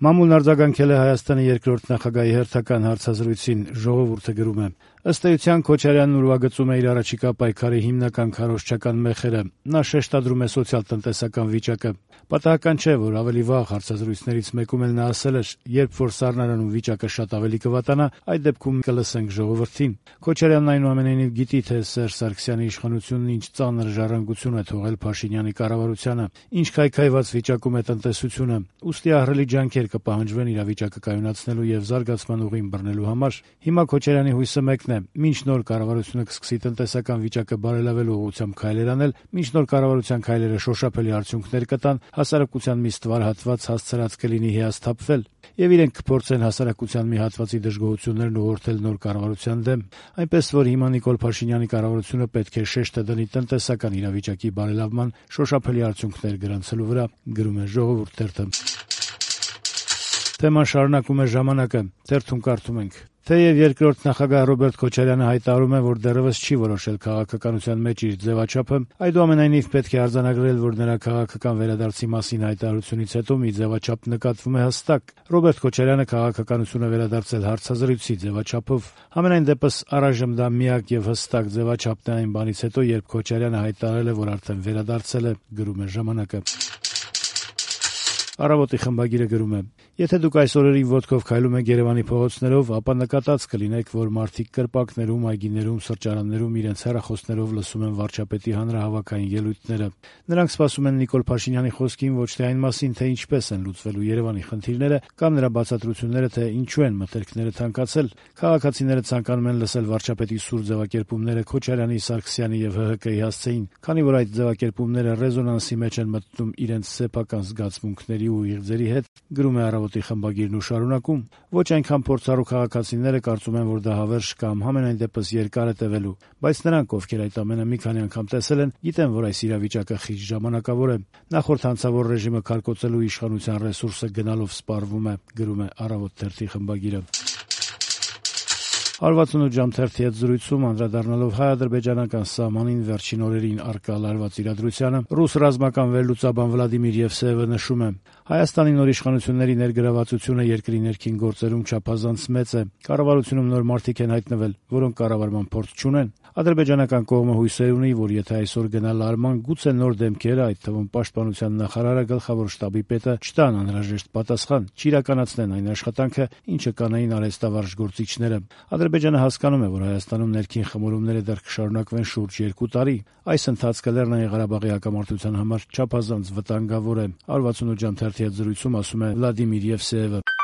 Մամուլն արձագանքել է Հայաստանի երկրորդ նախագահի հերթական հարցազրույցին, ժողովուրդը գրում է. ըստ էության Քոչարյանն ուրվագծում է իր առաջիկա պայքարի հիմնական քարոզչական մեխերը: Նա շեշտադրում է սոցիալ-տնտեսական վիճակը: Պատահական չէ, որ ավելի վաղ հարցազրույցներից մեկում էլ նա ասել էր. երբ որ սառնարանում վիճակը շատ ավելի կվատանա, այդ դեպքում կլսենք ժողովրդին: Քոչարյանն այնուամենայնիվ գիտի, թե Սերժ Սարգսյանի իշխանությունն ինչ ծանր ժառանգություն է թողել Փաշինյանի կառավարությանը, ինչ քայքայված վիճակում է տնտեսությունը, ուստի ահռելի ջանքեր կպահանջվեն իրավիճակը կայունացնելու եւ զարգացման ուղին բռնելու համար: Հիմա Քոչարյանի հույսը մեկն է՝ մինչ նոր կառավարությունը կսկսի տնտեսական վիճակը բարելավելու ուղղությամբ քայլեր անել, մինչ նոր կառավարության քայլերը շոշափելի արդյունքներ կտան, հասարակության մի ստվար հատված հասցրած կլինի հիասթափվել, եւ իրենք կփորձեն հասարակության մի հատվածի դժգոհություններն ուղղորդել նոր կառավարության դեմ: Այնպես որ հիմա Նիկոլ Փաշինյանի կառավարությունը պետք է շեշտը դնի տնտեսական իրավիճակի բարելավման շոշափելի արդյունքներ գրանցելու վրա: Գրում է Ժողովուրդ թերթը: Թեման շարունակում է «Ժամանակ»-ը: Թերթում կարդում ենք. Թեև երկրորդ նախագահ Ռոբերտ Քոչարյանը հայտարարում է, որ դեռեւս չի որոշել քաղաքականության մեջ իր ձեւաչափը, այդուամենայնիվ պետք է արձանագրել, որ նրա քաղաքական վերադարձի մասին հայտարարությունից հետո մի ձեւաչափ նկատվում է հստակ: Ռոբերտ Քոչարյանը քաղաքականություն է վերադարձել հարցազրույցի ձեւաչափով: Համենայն դեպս առայժմ դա միակ եւ հստակ ձեւաչափն է այն բանից հետո, երբ Քոչարյանը հայտարարել է, որ արդեն վերադարձել է: Գրում է «Ժամանակ»-ը: «Առավոտ»-ի խմբագիրը գրում է. եթե դուք այս օրերին ոտքով քայլում եք Երեւանի փողոցներով, ապա նկատած կլինեք, որ մարդիկ կրպակներում, այգիներում, սրճարաններում իրենց հեռախոսներով լսում են վարչապետի հանրահավաքային ելույթները: Նրանք սպասում են Նիկոլ Փաշինյանի խոսքին ոչ թե այն մասին, թե ինչպես են լուծվելու Երեւանի խնդիրները, կամ նրա բացատրությունները, թե ինչու են մթերքները թանկացել: Քաղաքացիները ցանկանում են լսել վարչապետի սուր ձեւակերպումները Քոչարյանի, Սարգսյանի եւ ՀՀԿ-ի հասցեին, քանի որ այդ ձեւակերպումները ռեզոնանսի մեջ են մտնում իրենց սեփական զգացմունքների ու իղձերի հետ: Գրում է «Առավոտ»-ի խմբագիրն ու շարունակում. ոչ այնքան փորձառու քաղաքացիները կարծում են, որ դա հավերժ կամ համենայն դեպս երկար է տեւելու, բայց նրանք, ովքեր այդ ամենը մի քանի անգամ տեսել են, գիտեն, որ այս իրավիճակը խիստ ժամանակավոր է: Նախորդ հանցավոր ռեժիմը քարկոծելու իշխանության ռեսուրսը գնալով սպառվում է: Գրում է «Առավոտ» թերթի խմբագիրը: 168 ժամ թերթի հետ զրույցում, անդրադառնալով հայ-ադրբեջանական սահմանին վերջին օրերին առկա լարված իրադրությանը, ռուս ռազմական վերլուծաբան Վլադիմիր Եվսեևը նշում է. Հայաստանի նոր իշխանությունների ներգրավվածությունը երկրի ներքին գործերում չափազանց մեծ է: Կառավարությունում նոր մարդիկ են հայտնվել, որոնք կառավարման փորձ չունեն: Ադրբեջանական կողմը հույսեր ունի, որ եթե այսօր գնա լարման, գուցե նոր դեմքերը, այդ թվում պաշտպանության նախարարը, գլխավոր շտաբի պետը չտան անհրաժեշտ պատասխան, չիրականացնեն այն աշխատանքը, ինչը կանեին արհեստավարժ գործիչները: Ադրբեջանը հասկանում է, որ Հայաստանում ներքին խմորումները դեռ կշարունակվեն շուրջ 2 տարի: Այս ընթացքը Լեռնային Ղարաբաղի հակամարտության համար չափազանց վտանգավոր է: 168 ժամ թերթի հետ զրույցում ասում է Վլադիմիր Եվսեևը: